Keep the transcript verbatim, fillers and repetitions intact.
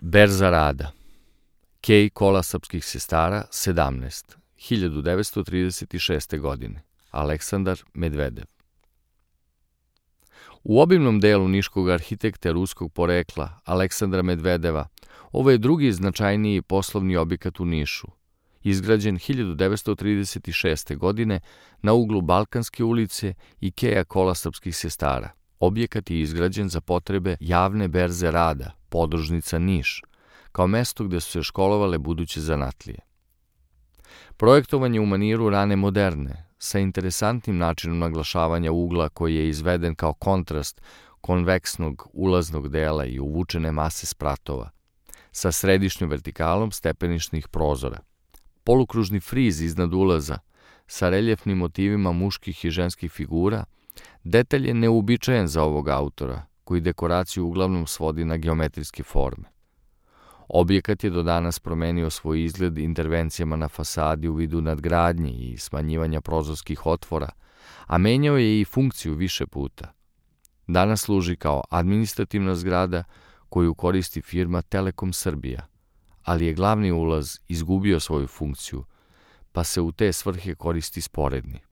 Berza rada. Kej kola srpskih sestara, sedamnaest, hiljadu devetsto trideset šeste. godine. Aleksandar Medvedev. U obimnom delu niškog arhitekte ruskog porekla Aleksandra Medvedeva, ovo je drugi značajniji poslovni objekat u Nišu, izgrađen hiljadu devetsto trideset šeste. godine na uglu Balkanske ulice i Keja kola srpskih sestara. Objekat je izgrađen za potrebe javne berze rada, podružnica Niš, kao mesto gde su se školovale buduće zanatlije. Projektovan je u maniru rane moderne, sa interesantnim načinom naglašavanja ugla koji je izveden kao kontrast konveksnog ulaznog dela i uvučene mase spratova, sa središnjom vertikalom stepenišnih prozora. Polukružni friz iznad ulaza, sa reljefnim motivima muških i ženskih figura, detalj je neuobičajen za ovog autora, koji dekoraciju uglavnom svodi na geometrijske forme. Objekat je do danas promenio svoj izgled intervencijama na fasadi u vidu nadgradnje i smanjivanja prozorskih otvora, a menjao je i funkciju više puta. Danas služi kao administrativna zgrada koju koristi firma Telekom Srbija, ali je glavni ulaz izgubio svoju funkciju, pa se u te svrhe koristi sporedni.